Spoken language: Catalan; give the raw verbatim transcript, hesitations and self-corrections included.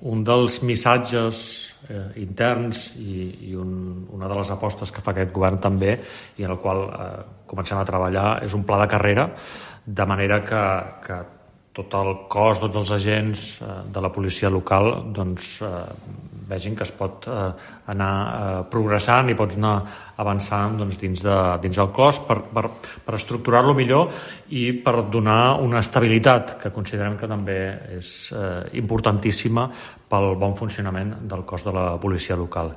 un dels missatges eh, interns i, i un, una de les apostes que fa aquest govern també, i en el qual eh, comencem a treballar, és un pla de carrera, de manera que, que tot el cos, tots els agents eh, de la policia local doncs, eh, vegin que es pot eh, anar eh, progressant i pots anar avançant doncs, dins, de, dins del cos per, per, per estructurar-lo millor i per donar una estabilitat que considerem que també és eh, importantíssima pel bon funcionament del cos de la policia local.